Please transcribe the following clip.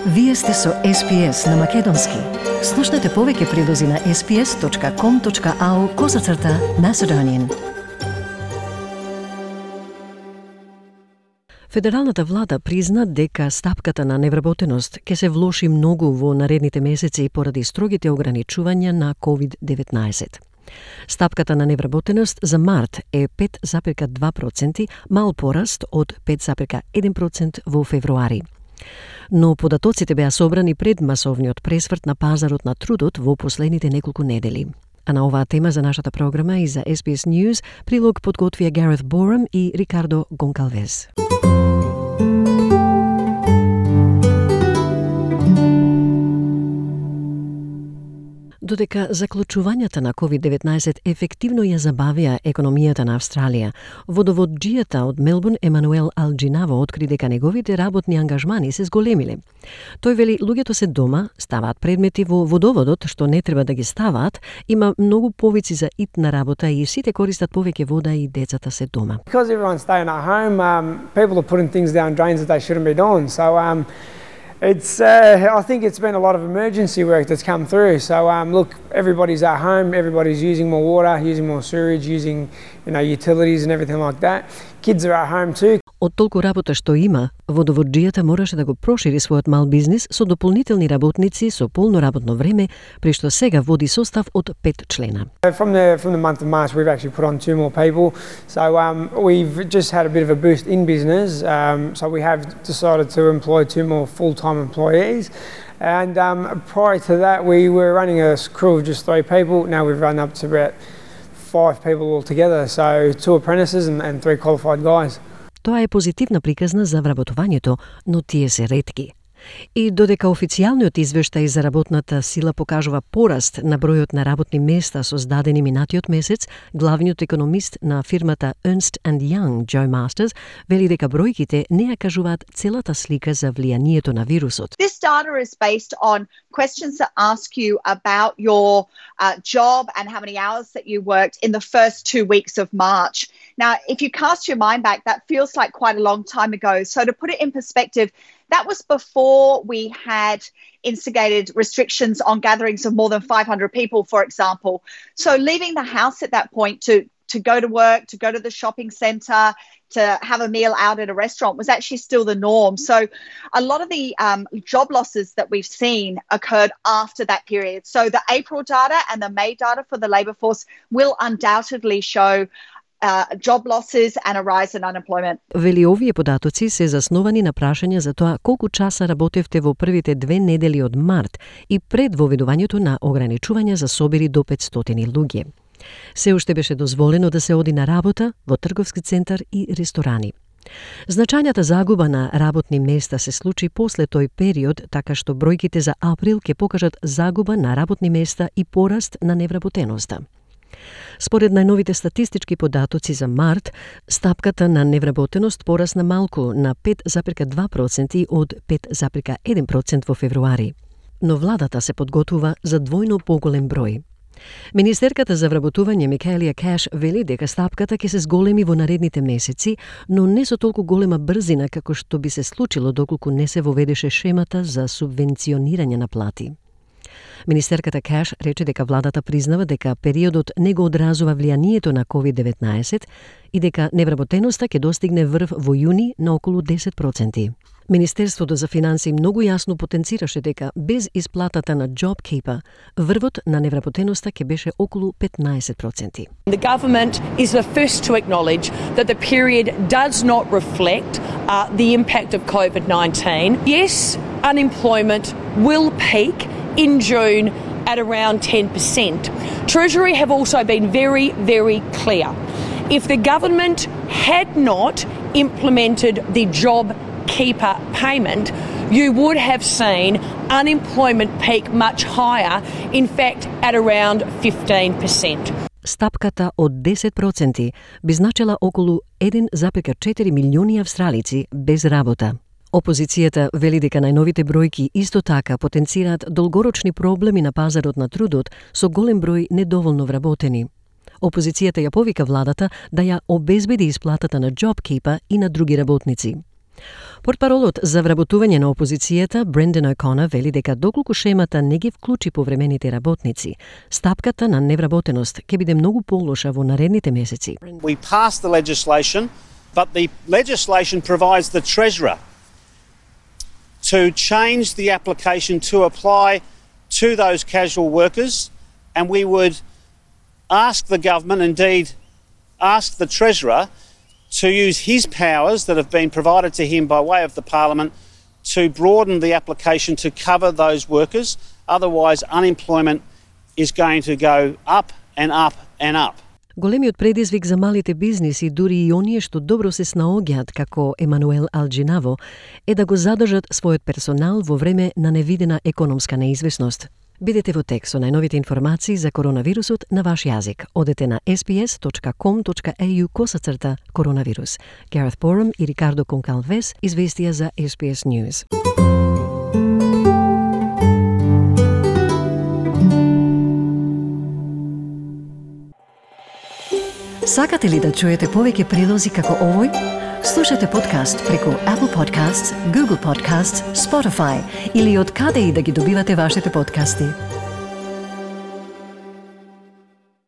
Вие сте со SPS на Македонски. Слушнете повеќе прилози на sps.com.au/Macedonian. Федералната влада призна дека стапката на невработеност ќе се влоши многу во наредните месеци поради строгите ограничувања на COVID-19. Стапката на невработеност за март е 5,2%, мал пораст од 5,1% во февруари. Но податоците беа собрани пред масовниот пресврт на пазарот на трудот во последните неколку недели. А на оваа тема за нашата програма и за SBS News прилог подготвија Гарет Борам и Рикардо Гонкалвес. Додека заклучувањата на COVID-19 ефективно ја забавија економијата на Австралија, водоводжијата од Мелбурн Емануел Алџинаво откри дека неговите работни ангажмани се зголемиле. Тој вели луѓето се дома, ставаат предмети во водоводот што не треба да ги ставаат, има многу повици за итна работа и сите користат повеќе вода и децата се дома. Because everyone's staying at home, people are putting things down drains that they shouldn't be doing. So I think it's been a lot of emergency work that's come through. So look, everybody's at home, everybody's using more water, using more sewage, using utilities and everything like that. Kids are at home too. Од толку работа што има, водоводжијата мораше да го прошири својот мал бизнис со дополнителни работници со полно работно време, при што сега води состав од 5 члена. From the month of March, we've actually put on 2 more people. So we've just had a bit of a boost in business. So we have decided to employ 2 more full-time employees. And prior to that, we were running a crew of just 3 people. Now we've run up to about 5 people altogether. So 2 apprentices and 3 qualified guys. Тоа е позитивна приказна за вработувањето, но тие се ретки. И додека официјалниот извештај за работната сила покажува пораст на бројот на работни места создадени минатиот месец, главниот економист на фирмата Ernst & Young, Joe Masters, вели дека бројките не ја кажуваат целата слика за влијанието на вирусот. This data is based on questions that ask you about your job and how many hours that you worked in the first 2 weeks of March. Now, if you cast your mind back, that feels like quite a long time ago. So to put it in perspective, that was before we had instigated restrictions on gatherings of more than 500 people, for example. So leaving the house at that point to go to work, to go to the shopping centre, to have a meal out at a restaurant was actually still the norm. So a lot of the job losses that we've seen occurred after that period. So the April data and the May data for the labour force will undoubtedly show job losses and a rise in unemployment. Вели овие податоци се засновани на прашања за тоа колку часа работевте во првите 2 недели од март и пред воведувањето на ограничувања за собери до 500 луѓе. Се уште беше дозволено да се оди на работа во трговски центар и ресторани. Значајната загуба на работни места се случи после тој период, така што бројките за април ќе покажат загуба на работни места и пораст на невработеноста. Според најновите статистички податоци за март, стапката на невработеност порасна малку на 5,2% од 5,1% во февруари. Но владата се подготвува за двојно поголем број. Министерката за вработување Микаелија Кеш вели дека стапката ќе се зголеми во наредните месеци, но не со толку голема брзина како што би се случило доколку не се воведеше шемата за субвенционирање на плати. Министерката Кеш рече дека владата признава дека периодот не го одразува влијанието на COVID-19 и дека невработеноста ќе достигне врв во јуни на околу 10%. Министерството за финансии многу јасно потенцираше дека без исплатата на JobKeeper, врвот на невработеноста ќе беше околу 15%. The government is the first to acknowledge that the period does not reflect the impact of COVID-19. Yes, unemployment will peak in June at around 10%. Treasury have also been very, very clear. If the government had not implemented the JobKeeper payment, you would have seen unemployment peak much higher, in fact at around 15%. Стапката од 10% би значила околу 1,4 милиони австралици без работа. Опозицијата вели дека најновите бројки исто така потенцираат долгорочни проблеми на пазарот на трудот со голем број недоволно вработени. Опозицијата ја повика владата да ја обезбеди исплатата на JobKeeper и на други работници. Портпаролот за вработување на опозицијата Брендан О'Конер вели дека доколку шемата не ги вклучи повремените работници, стапката на невработеност ќе биде многу полоша во наредните месеци. We passed the legislation, but the legislation provides the Treasurer to change the application to apply to those casual workers, and we would ask the government, indeed ask the Treasurer, to use his powers that have been provided to him by way of the Parliament to broaden the application to cover those workers. Otherwise, unemployment is going to go up and up and up. Големиот предизвик за малите бизниси, дури и оние што добро се снаоѓаат како Емануел Алџинаво, е да го задржат својот персонал во време на невидена економска неизвестност. Бидете во тек со најновите информации за коронавирусот на ваш јазик. Одете на sbs.com.au/коронавирус. Гарет Борам и Рикардо Конкалвес известија за SBS News. Сакате ли да чуете повеќе прилози како овој? Слушате подкаст преку Apple Podcasts, Google Podcasts, Spotify или од каде и да ги добивате вашите подкасти.